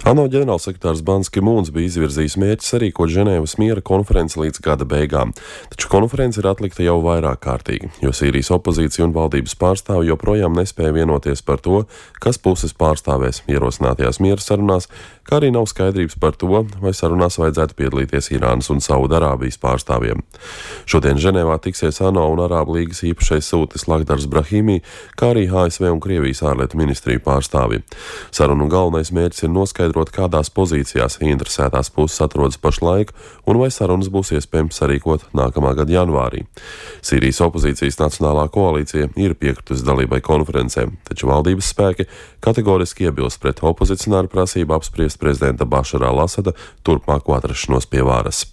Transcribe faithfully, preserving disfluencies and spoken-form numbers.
ANO ģenerālsekretārs Bans Ki-mūns bija izvirzījis mērķi sarīkot Ženēvas miera konferenci līdz gada beigām, taču konference ir atlikta jau vairāk kārtīgi, jo Sīrijas opozīcija un valdības pārstāvi joprojām nespēja vienoties par to, kas puses pārstāvēs ierosinātajās miera sarunās, kā arī nav skaidrības par to, vai sarunās vajadzētu piedalīties Irānas un Saudarābijas pārstāvjiem. Šodien Ženēvā tiksies ANO un Arābu līgas īpašais sūtnis Lakhdars Brahimi, kā arī A S V un Krievijas ārlietu ministriju pārstāvji. Sarunu galvenais mērķis ir noskaidrot, kādās pozīcijās interesētās puses atrodas pašlaik un vai sarunas būs iespējams sarīkot nākamā gada janvārī. Sīrijas opozīcijas Nacionālā koalīcija ir piekritusi dalībai konferencē, taču valdības spēki kategoriski iebilst pret opozicionāru prasību apspriest prezidenta Bašara al-Asada turpmāko atrašanos pie varas.